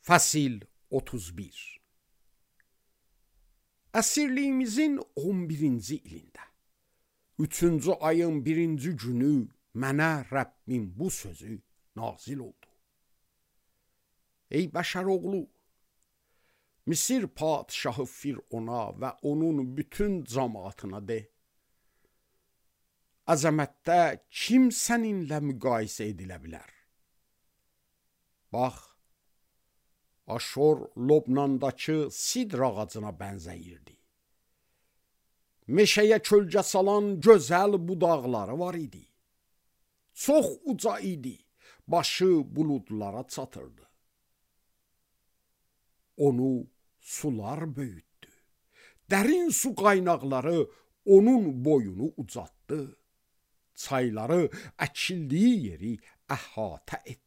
Fəsil 31. Əsirliyimizin 11-ci ilində 3-cü ayın 1-ci günü mənə Rəbbim bu sözü nazil oldu. Ey bəşər oğlu, Misir padişahı Firona və onun bütün cəmaatına de, əzəmətdə kim səninlə müqayisə edilə bilər? Bax, Aşor Lobnandakı sidr ağacına bənzəyirdi. Meşəyə kölgə salan gözəl budaqları var idi. Çox uca idi, başı buludlara çatırdı. Onu sular böyütdü. Dərin su qaynaqları onun boyunu ucatdı. Çayları əkildiyi yeri əhatə etdi.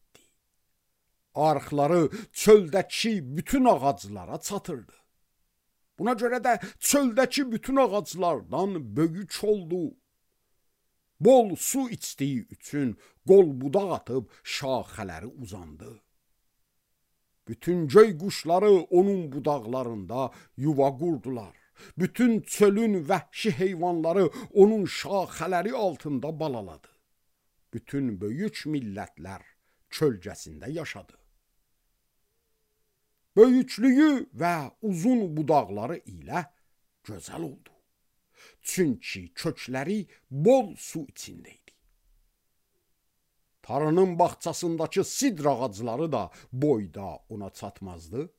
Arxları çöldəki bütün ağaclara çatırdı. Buna görə də çöldəki bütün ağaclardan böyük oldu. Bol su içdiyi üçün qol budaq atıb şaxələri uzandı. Bütün göy quşları onun budaqlarında yuva qurdular. Bütün çölün vəhşi heyvanları onun şaxələri altında balaladı. Bütün böyük millətlər kölgəsində yaşadı. Böyüklüyü və uzun budaqları ilə gözəl oldu. Çünki kökləri bol su içində idi. Tarının bağçasındakı sidr ağacları da boyda ona çatmazdı.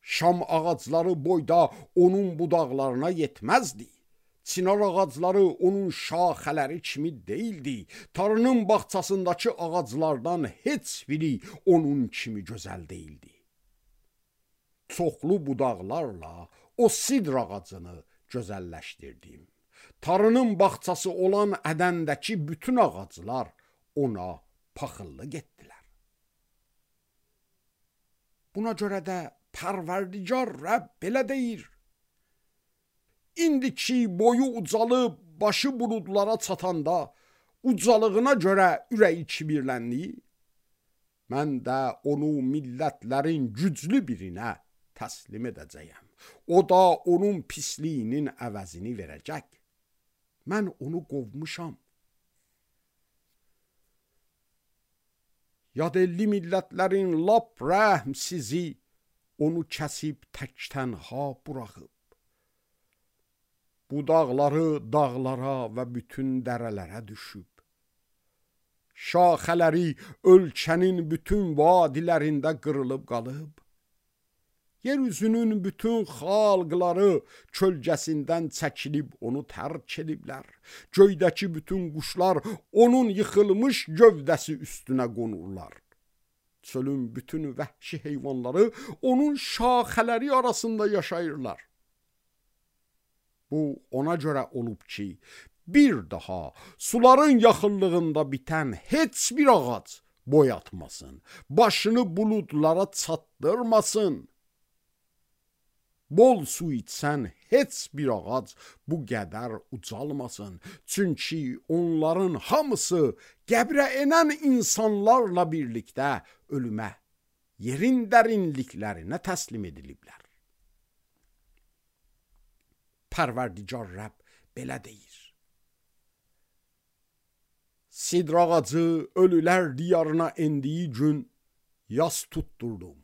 Şam ağacları boyda onun budaqlarına yetməzdi. Çinar ağacları onun şaxələri kimi deyildi. Tarının bağçasındakı ağaclardan heç biri onun kimi gözəl deyildi. Çoxlu budaqlarla o sidr ağacını gözəlləşdirdim. Tarının bağçası olan Ədəndəki bütün ağaclar ona paxıllıq etdilər. Buna görə də Pərverdigar Rəbb belə deyir: İndiki boyu ucalıb başı buludlara çatanda ucalığına görə ürəyi kibirləndi, mən də onu millətlərin güclü birinə təslim edəcəyəm. O da onun pisliyinin əvəzini verəcək. Mən onu qovmuşam. Yadelli millətlərin lap rəhmsizi onu kəsib tək-tənha buraxıb. Budaqları dağlara və bütün dərələrə düşüb. Şaxələri ölkənin bütün vadilərində qırılıb qalıb. Yeryüzünün bütün xalqları kölgəsindən çəkilib onu tərk ediblər. Göydəki bütün quşlar onun yıxılmış gövdəsi üstünə qonurlar. Çölün bütün vəhşi heyvanları onun şaxələri arasında yaşayırlar. Bu ona görə olub ki, bir daha suların yaxınlığında bitən heç bir ağac boy atmasın, başını buludlara çatdırmasın. Bol su içsən heç bir ağac bu qədər ucalmasın. Çünki onların hamısı qəbrə enən insanlarla birlikdə ölümə, yerin dərinliklərinə təslim ediliblər. Pərverdigar Rəbb belə deyir: Sidr ağacı ölülər diyarına endiyi gün yas tutturdum.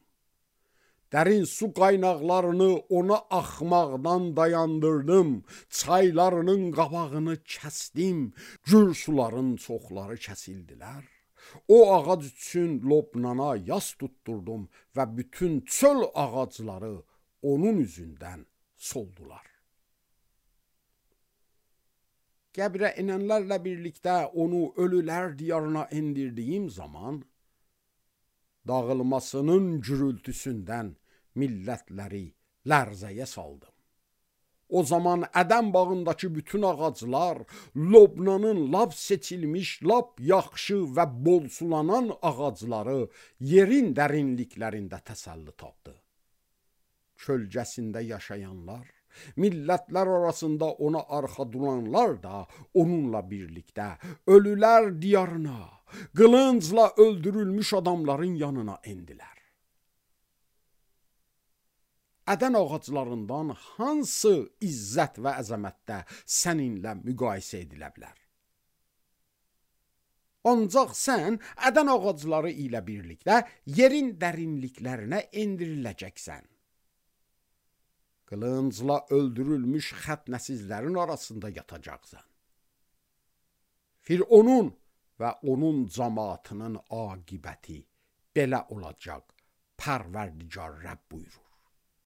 Dərin su qaynaqlarını ona axmaqdan dayandırdım. Çaylarının qabağını kəsdim. Gür suların çoxları kəsildilər. O ağac üçün Lobnana yas tutturdum və bütün çöl ağacları onun üzündən soldular. Qəbrə enənlərlə birlikdə onu ölülər diyarına endirdiyim zaman dağılmasının gürültüsündən millətləri lərzəyə saldım. O zaman Ədəm bağındakı bütün ağaclar, Lobnanın lap seçilmiş, lap yaxşı və bol sulanan ağacları yerin dərinliklərində təsəlli tapdı. Kölgəsində yaşayanlar, millətlər arasında ona arxa duranlar da onunla birlikdə ölülər diyarına, qılıncla öldürülmüş adamların yanına endilər. ədən ağaclarından hansı izzət və əzəmətdə səninlə müqayisə edilə bilər? Ancaq sən ədən ağacları ilə birlikdə yerin dərinliklərinə endiriləcəksən. Qılıncla öldürülmüş xətnəsizlərin arasında yatacaqsan. Fironun və onun cəmaatının aqibəti belə olacaq, Pərverdigar Rəbb buyurur.